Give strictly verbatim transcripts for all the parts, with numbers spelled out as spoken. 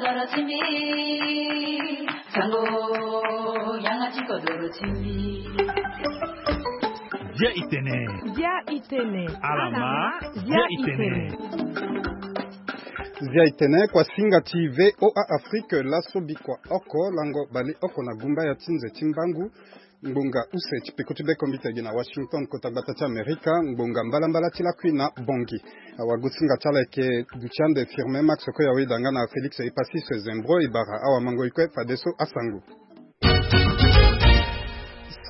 Dia itene. Dia itene. Alama. Dia itene. Dia itene, kwa singa ti V O A Afrique, laso bikua oko, lango bale oko na gumba ya ti nze ti mbangu. Ngbonga use ti peko ti beko mbita gi na Washington, kota gbata ti Amerika, ngbonga mbalambala ti lakui na Bongi. Awagosinga ti ala eke duti ande Firmin Max Koyaweda nga na Félix Epasis Zembro e bara awamango e kue fadeso asango.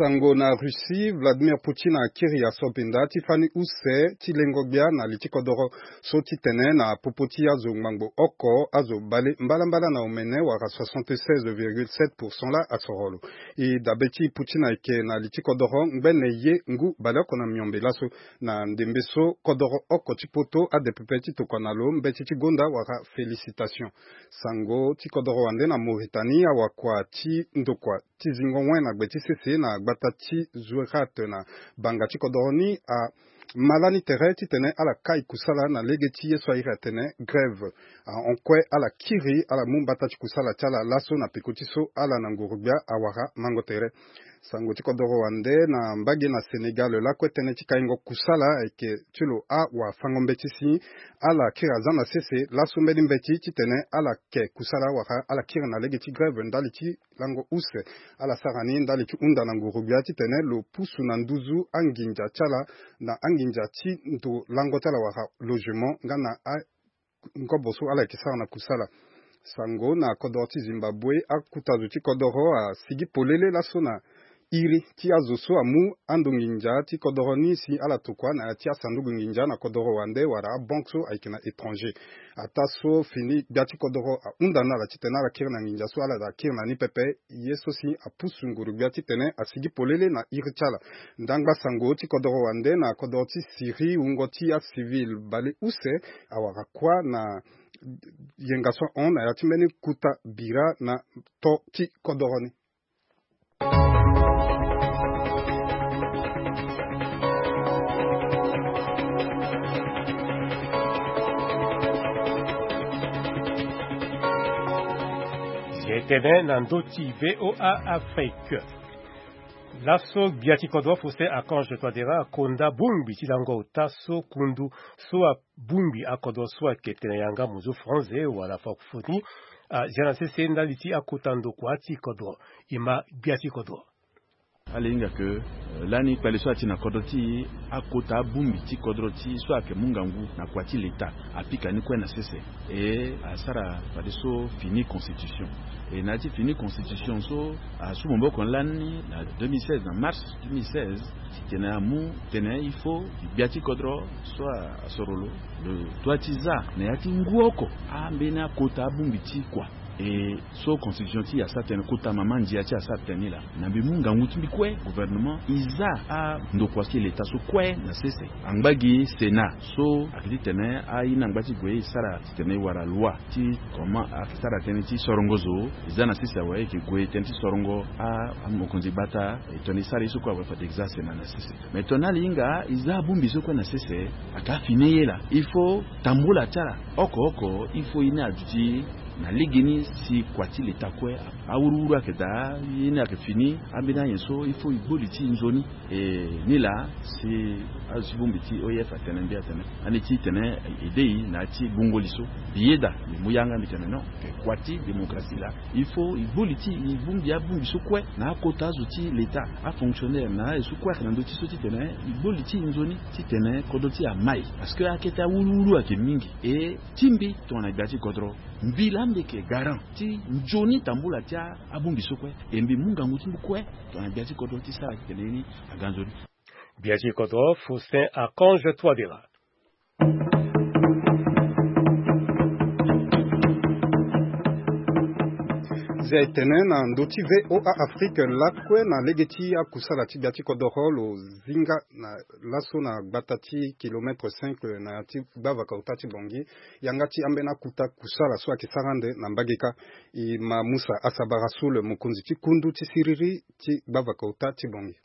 Sango na Russie, Vladimir Poutine akiri asobinda ti fani use ti lengo gbia na li ti kodoro so ti tene na popo ti azo ngbangbo oko, azo bale mbalambala na omene wala soixante-seize virgule sept pour cent la asoro lo. E dabe ti Poutine ayeke na li ti kodoro ngbene ye ngu baleoko na miombe laso na ndembe so kodoro oko ti poto ade pepe ti tokua na lo mbeti ti gonda wala félicitation. Sango ti kodoro wande na Mauritanie, awakua ti ndokua ti zingo wen na gbe ti sese na gbata ti Zouérate na banga ti kodoro ni a ma lani tere titene ala kai kusala na lege ti ye so airi atene grève. Ahon kue ala kiri ala mu mbata ti kusala ti ala laso na peko ti so ala na nguru-gbia awara mango tere. Sango ti kodoro wande na mbage na Sénégal lakue tënë ti kaingo kusala ayeke ti lo awafango mbeti si ala kiri aza na sese laso mbeni mbeti titene ala ke kusala wala ala kiri na lege ti grève ndali ti lango use. Ala sara ni ndali ti hunda na nguru-gbia titene lo pusu na nduzu anginza ti ala na anginza ti ndo lango ti ala wala logement nga na a ngobo so ala yeke sara na kusala. Sango na kodoro ti Zimbabwe, akuta zo ti kodoro asigi polele laso na iri ti azo so amu ando nginza ti kodoro ni si ala tokua na ya ti asanduku nginza na kodoro wande wala abanke so ayeke na étranger. Ataa so fini gbia ti kodoro ahunda na ala titene ala kiri na nginza so ala da kiri na ni pepe, ye so si apusu nguru-gbia titene asigi polele na iri ti ala. Ndangba sango ti kodoro wande na kodoro ti Syrie, wungo ti acivil bale use awara kuâ na yenga so ahon na ya ti mbeni kuta bira na to ti kodoro ni. Ye tene na ndö ti V O A Afrique. Laso gbia ti kodro Faustin Archange Touadéra akonda bongbi ti lango ota so kundu so abongbi akodro so ayeke tene yanga mozo franze wala francophonie azia na sese ndali ti akota ndokua ti kodro. E ma gbia ti kodro. Ala hinga ke, eh, lani kpale so ati na kodro ti e, akota abongbi ti kodro ti e so ayeke mu ngangu na kua ti leta apika ni kue na sese. E asara fadeso fini constitution. E na ya ti fini constitution so asu maboko lani na deux mille seize, na mars deux mille seize, titene amu tene il faut gbia ti kodro so asoro lo, lo doit ti za na ya ti ngu oko ambeni akota abongbi ti kua. E so constitution ti e asara tënë, kota mama ndia ti e asara tënë ni laa, na mbi mu ngangu ti mbi kue, gouvernement, e za andokua ti leta so kue na sese. Angba gi Sénat so ayeke titene aye ni angba ti gue e sara titene e wara loi ti comment ayeke sara tënë ti sorongo zo. E za na sese awe e yeke gue tënë ti sorongo a, amokonzi gbata, e tongana e sara ye so kue awe fade e za Sénat na sese. Me tongana ala hinga e za abongbi so kue na sese, ayeke afini ye laa. Il faut tambula ti ala oko oko, il faut ye ni aduti na legeni si kua ti leta kue awuruwuru ayeke daa, ye ni ayeke fini, ambeni anyen so il faut e gbo li ti e nzoni. E ni laa si azo ti bongbi ti O I F atene mbi atene, ande ti tene e de e na ya ti gbungo li so. Mbi yeda, mbi mu yanga mbi tene non, ayeke kua ti démocratie laa. Il faut e gbo li ti e, e bongbi abongbi so kue na akota azo ti leta, afonctionnaire na aye so kue ayeke na ndö ti so titene e gbo li ti e nzoni titene kodro ti e amai. Parce que akete awuruwuru ayeke mingi. E ti mbi tongana gbia ti kodro, mbi laa mbi yeke garant ti nzoni tambula ti a, abongbi so kue. E mbi mu ngangu ti mbi kue tongana gbia ti kodro ti sara titene ye ni aga nzoni. Gbia ti kodro Faustin Archange Touadéra. Zia e tene na ndö ti V O A Afrique lakue na lege ti akusala ti gbia ti kodoro lo zinga na laso na gbata ti kilomètre cinq na ya ti gbavaka ota ti Bangui. Yanga ti ambeni akuta kusala so ayeke sara ande na mbage kâ. E ma Musa Asabara Soul, mokonzi ti kundu ti siriri ti gbavaka ota ti Bangui.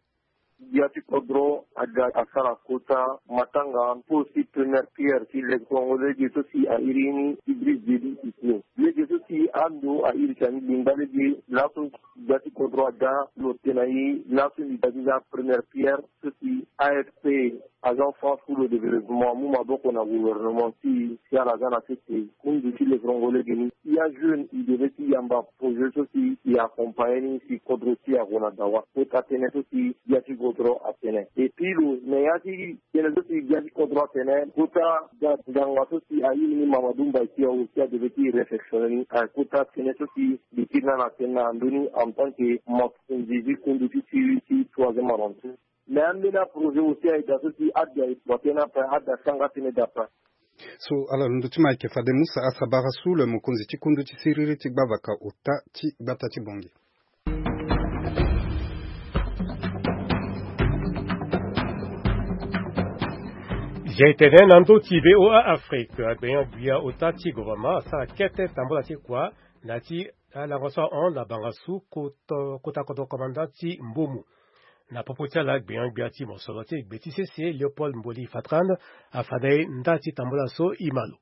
Gbia ti kodro aga asara kota matanga mpo si première pierre ti lege so lege so si a iri ni Idriss Déby Itno. Lege so si a Ando a iri ti ani lingba lege laso. Gbia ti kodro aga lo tene na e laso mbi ga ti za première pierre so si A F P, Agence France pour le Développement, amu maboko na gouvernement ti e si ala ga na sese. Kundu ti lefrongo lege ni, ya jeune e devait ti yamba projet so si e accompagner ni si kodro ti e ague na dawa. Kota tënë so si gbia ti kodro atene. Et puis lo na ya ti tënë so si gbia ti kodro atene, kota ga nganga so si a iri ni Mamadou Mbaye si a aussi a devait ti réflexionner ni. Kota tënë so si mbi kiri na na tënë na ndö ni en tant que mokonzi ti kundu ti siriri ti troisième arrondissement. Mais ambeni aprojet aussi aye daa so si ada e bua tënë ape, ada sanga tënë daa ape. So ala londo ti ma ayeke fade Musa Asabara Sule, mokonzi ti kundu ti siriri ti gbavaka ota ti gbata ti Bangui. Zia e tene na ndö ti V O A Afrique, agbenyo-gbia ota ti gouvernement asara kete tambula ti kua na ya ti alango so ahon na bangasu kota, kota kodro komanda ti Mbomu. Na popo ti ala, gbenyo-gbia ti mosoro ti gbe ti sese Léopold Mboli Fatran afada e nda ti tambula so e ma lo.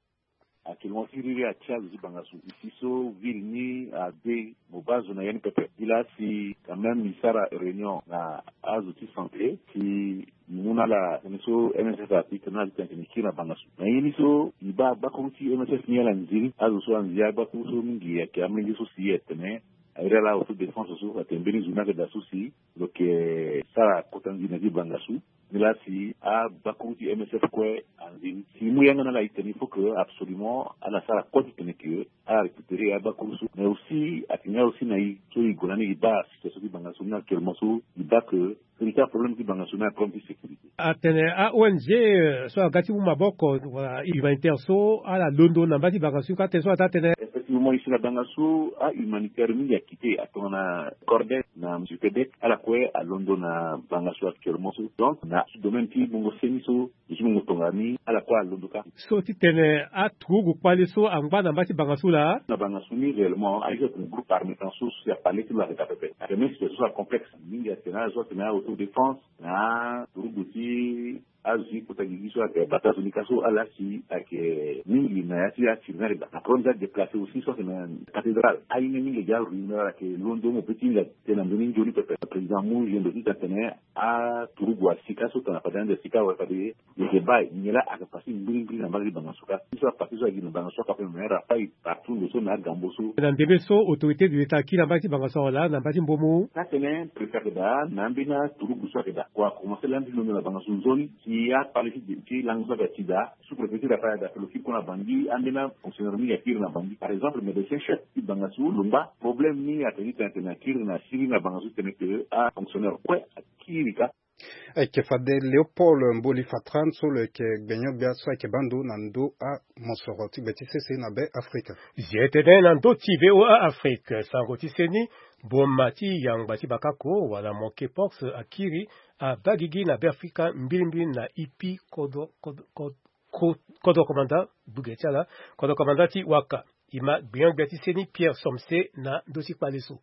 Actuellement siriri atia zo ti bangasu isi so ville ni ade mo baa zo na ya ni pepe. Gi laa si quand même e sara réunion na azo ti santé si e mu na ala tënë so M S F api tene na ala ti tene e kiri na bangasu. Na ye ni so e baa agbakuru ti M S F ni ala nziri. Azo so anziri agbakuru so mingi ayeke amolenge so si atene a iri ala autodéfense so atene mbeni zo ni ayeke daa so si lo yeke sara kota nziri na ya ti bangasu. Nilaa si agbakuru ti M S F kue anziri. Si e mu yanga na ala e tene il faut que absolument ala sara kue ti tene que ala récupérer agbakuru so. Mais aussi atene aussi na e so e gue na ni e baa situation ti bangasu ni actuellement so e baa que vérité problème ti bangasu ni a problème ti sécurité. Atene a O N G, euh, so aga ti mu maboko wala humanitaire so ala londo na mba ti bangasu ka tene so ata tene. Effectivement, isi na bangasu a humanitaire mingi akite atongana Cordec na Supedec, ala kue alondo na bangasu actuellement so. Donc na domaine ti bongo seni so, ti bongo tongani, ala kue alondo ka. So ti tene aturugu kpale so angba na mba ti bangasu laa. Na bangasu ni réellement aye so atene groupe armé tan so si apale ti lo ayeke daa pepe. Atene même situation so acomplexe mingi atene ala so atene autodéfense na turugu ti azo ti kota gigi so ayeke bata zo ni ka so ala si ayeke mingi na ya ti asiri ni ayeke daa. Na problème ti adéplacé aussi so ayeke na cathédrale. Aye ni mingi ayeke aruine, ala yeke londo mo pe ti hinga tënë na ndö ni nzoni pepe. Président amu yendo ti tene atene aturugu asi ka so tongana fade ande asi ka awe fade e yeke baa nyen laa ayeke pase mbirimbiri na mbage ti bangasu ka. Ti so apase so ayeke na bangasu aka ape me ra apai partout ndo so na agambo so. Na ndembe so autorité de l'État akiri na mbage ti bangasu awe laa na mbage ti Mbomu. Ka tene préfet ayeke daa na ambeni aturugu so ayeke daa kua akomanse lani ti londo na bangasu nzoni. Si akpale ti lango so ayeke ti daa sous-préfet ti Rafael ayeke daa lo kiri kue na Bangui, ambeni afonctionnaire mingi akiri na Bangui. Par exemple médecin chef ti bangasu lo ngba. Problème ni atene ti tene atene akiri na siriri na bangasu ti tene que afonctionnaire kue akiri ka. Ayeke fade Léopold Mboli Fatran so lo yeke gbenyo-gbia so ayeke baa ndo na ndö amosoro ti gbe ti sese na Be Afrika. Zia e tene na ndö ti V O A Afrique, sango ti seni, boma ti yangba ti bakako wala monkeypox akiri abaa gigi na Be Afrika mbirimbiri na ipi kodro, kodro, kodro, kodro komanda, gbuge ti ala, kodro komanda ti Waka. E ma gbenyo-gbia ti seni Pierre Somse na ndö ti kpale so.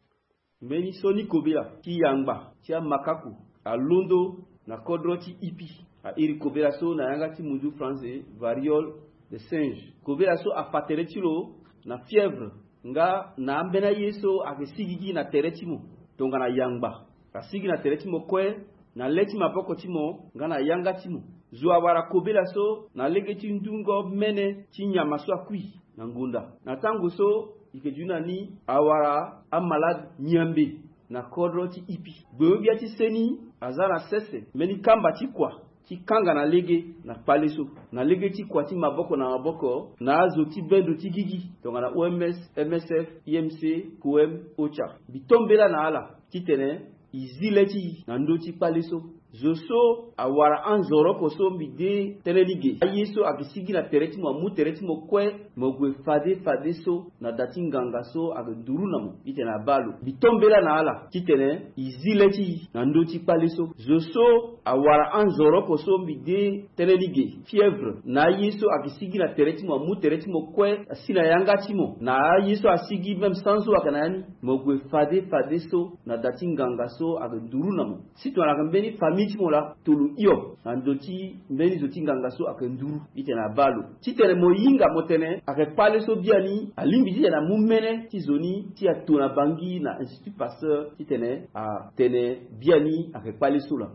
Mbeni sioni kobela ti yangba ti amakaku alondo na kodro ti ipi. A iri kobela so na yanga ti munzu français variole de singe. Kobela so afa tere ti lo na fièvre nga na ambeni aye so ayeke sigigi na tere ti mo tongana yangba. Asigi na tere ti mo kue, na le ti maboko ti mo nga na yanga ti mo. Zo awara kobela so na lege ti ndungo mene ti nyama so akui na ngonda. Na tango so e yeke duti na ni awara amalade nyambe na kodro ti ipi. Gbenyo-gbia ti seni aza na sese mbeni kamba ti kua ti kanga na lege na kpale so. Na lege ti kua ti maboko na maboko na azo ti bendo ti gigi tongana O M S, M S F, I M C, COEM, OCHA. Mbi to mbela na ala ti tene e zi le ti e na ndö ti kpale so. Zo so awara anzoroko so mbi de tënë ni ge. Aye so ayeke sigi na tere ti mo, amu tere ti mo kue, mo gue fade fadeso na da ti nganga so ayeke nduru na mo ti tene abaa lo. Mbi to mbela na ala ti tene e zi le ti e na ndö ti kpale so. Zo so awara anzoroko so mbi de tënë ni ge, fièvre, na aye so ayeke sigi na tere ti mo, amu tere ti mo kue, asi na yanga ti mo, na aye so asigi même sans eau ayeke na ya ni, mo gue fade fadeso na da ti nganga so ayeke nduru na mo. Si tongana ayeke mbeni famille ti mo laa, to lo hio na ndö ti mbeni zo ti nganga so ayeke nduru ti tene abaa lo. Ti tene mo hinga mo tene Ayeke kpale so biani alingbi titene amu mene ti zo ni ti ato na bangi na Institut Pasteur titene atene biani ayeke kpale so laa.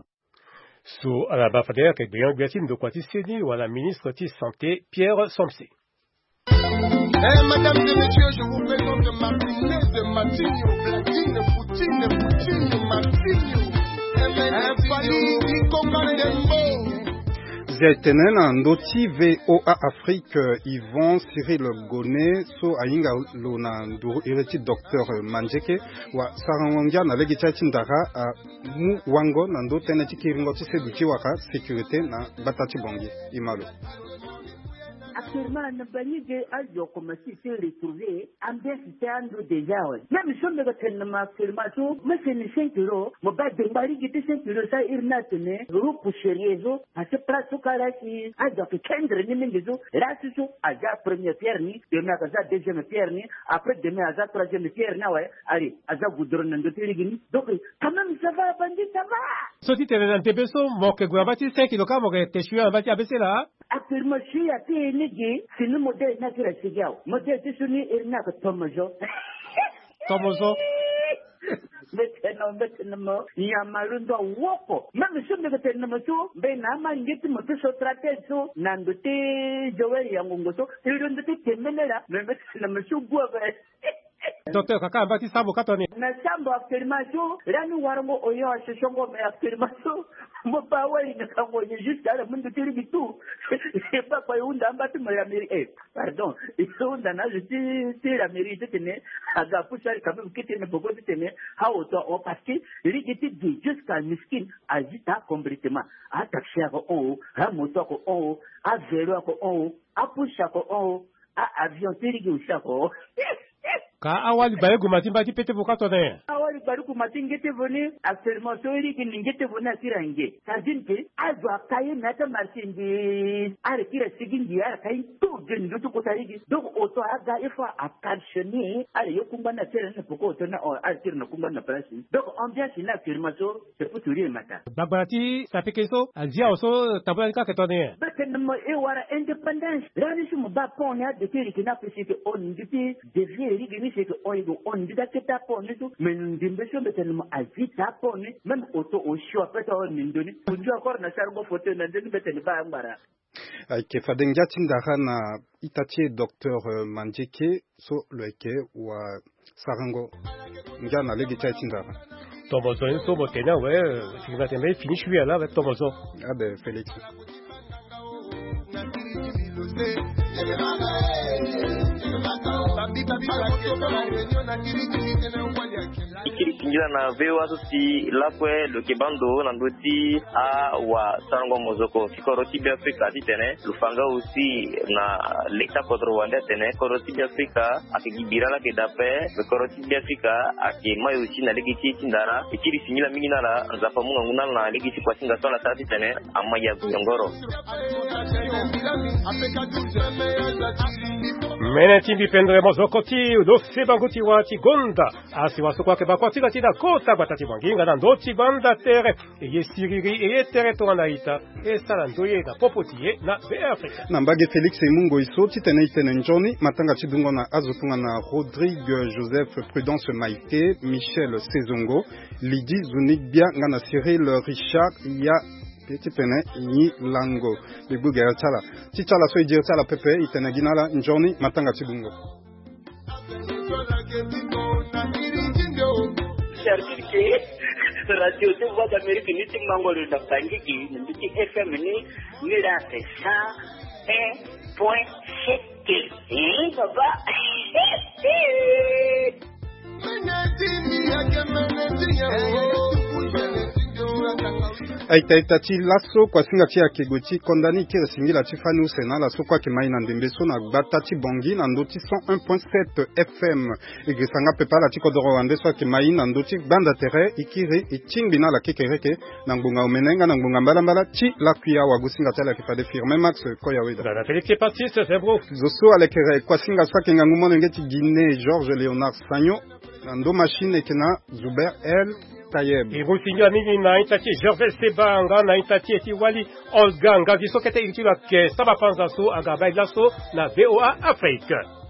So ala baa fade ayeke gbeon-gbia ti ndokua ti seni wala ministre ti santé Pierre Somse. Eh, mesdames et messieurs, je vous présente Martinez, Martinho, Platine, Poutine, Poutine, Martinho. Eh, Fally, Ikoka Dembo. Zia etene na ndö ti VOA Afrique, Yvan Cyril Gone so ahinga lo na nduru iri ti docteur Mandieke, wa sarango ngia na lege ti aye ti ndara amu wango na ndö tënë ti kiringo ti sedu ti waka sécurité na gbata ti Bangui. Ima lo. Actuellement na bangi ge azo commencé ti retrouver ambiance ti ando déjà awe. Même so mbi ga tene na mo actuellement so mo seni cinq euros, mo baa dengba lege ti cinq euros so iri ni atene groupe sérieux so. Parce que place so kara si azo ayeke kendre ni mingi so, lasi so aza première pierre ni, demain ayeke aza deuxième pierre ni, après demain aza troisième pierre ni awe. Allez, aza goudron na ndö ti lege ni. Donc quand même ça va, bangi, ça va. So ti tene na ndembe so mo yeke gue na mba ti cinq kilo kâ mo yeke te sui na mba ti A B C laa. Actuellement sui ape ni ge, si ni modèle ni akiri asigi awe. Modèle ti so ni iri ni ayeke tomozo. Tomozo. Mbi tene mo, mbi tene mo, nyama londo awoko. Même so mbi yeke tene na mo so, mbi na amange ti mo ti so stratège so na ndo ti Joël Yangongo so, e londo ti tembele laa, mais mbi tene na mo so gue ape. Docteur, kaka na mba ti sambo ka toni. Na sambo actuellement so lani warango oyo asosongo, mais actuellement so mo baa wali na kango ye juste ala mundu ti ligi tout. E baa kua e hunda amba ti mo la mairie, eh, pardon, e hunda na azo ti, ti la mairie titene aga apusu ali quand même kete na poko titene aoto ahon, parce que ligi ti di jusqu'à Miskine azi ta complètement. Ataxi ayeke hon o, amoto ayeke hon o, avelo ayeke hon o, apusu ayeke hon o, a avion ti ligi aussi ayeke hon o. Ka awali baleuguma ti mba ti pete vo ka tone. Awali baleuguma ti nge ti vo ni, actuellement so ligi ni nge ti vo ni akiri ange. Ça veut dire que azo aka ye na ata marché nde ala kiri asigi nde ala ka ye tout de ndö ti kota ligi. Donc oto aga il faut a cautionner ala ye kungba ni atene na poko oto ni, ala tiri na kungba ni na place ni. Donc ambiance ni actuellement so c'est pour tout dire matin. Gbagbara ti sapeke so azi awe so tabula ni ka yeke tongana nyen? Mbi tene mo e wara indépendance. Lani so mo baa pont ni ade ti leke ni ape si e yeke hon ni nde ti dévier lege ni si e yeke hon, e yeke hon ni nde ti akete apont ni so. Mais ndembe so mbi tene mo azi taa apont ni. Même oto osio ape ti ahon ni ndo ni. Ondio encore na sarango fauteuil na nde ni mbi tene baa angbara. Ayeke fade ngia ti ndara na ita ti e docteur, euh, Mandieke so lo yeke wa sarango ngia na lege ti aye ti ndara. Tomozo ni so mo tene awe, euh, sigi na tene fini sui ala avec tomozo. Abe Félix. E kiri singila na V O A so si lakue lo yeke baa ndo na ndö ti awasarango mozoko ti kodro ti Beafrika titene lo fa nga aussi na leta kodro wande atene kodro ti Beafrika ayeke gi bira laa ayeke daa ape. Kodro ti Beafrika ayeke mai aussi na lege ti e ti ndara. E kiri singila mingi na ala, Nzapa amu ngangu na ala na lege ti kuasinga so ala sara titene ama ya nyongoro. Mene ti mbi pendere mozoko ti lo sebango ti wa ti gonda. Asi wa so kue ayeke baa kuâ ti ga ti na kota gbata ti Bangui nga na ndö ti gbanda tere. E ye siriri, e ye tere tongana na ita. E sara ndoye na popo ti e na Beafrika. Na mbage Félix e mu ngoi so titene e tene nzoni matanga ti dungo na azo tongana Rodrigue Joseph, Prudence Maïté, Michel Sezongo, Lydie Zunigbia nga na Cyril Richard ya. Pe ti tene nyi lango. Mbi gbu gere ti ala. Ti ti ala so e diri ti ala pepe, e tene gi na ala nzoni matanga ti dungo. Service ke radio ti Voix d'Amérique ni ti mango lo na Bangui gi na mbi ti F M ni, ni la ake cent un point sept. Eh, papa. Aita ita ti laso kuasinga ti e ayeke gue ti konda ni, e kiri singila ti fani use na ala so kue ayeke ma e na ndembe so na gbata ti Bangui na ndö ti cent un point sept F M. E girisa nga pepe ala ti kodoro wande so ayeke ma e na ndö ti gbanda tere, e kiri e tingbi na ala kekereke na ngbonga omene nga na ngbonga mbalambala ti lakui awagosinga ti ala ayeke fade Firmin Max Koyaweda. Dada Félix Epatis Zebro. Zo so alekere kuasinga so ayeke ngangu molenge ti Guinée, Georges Léonard Sagno. Na ndo machine ayeke na Zuber El Erosi ngia mingi na ita ti Gervais Seba nga na ita ti e ti wali Olga Ngagi so kete iri ti lo ayeke sara bapanza so aga baa e laso na V O A Afrique.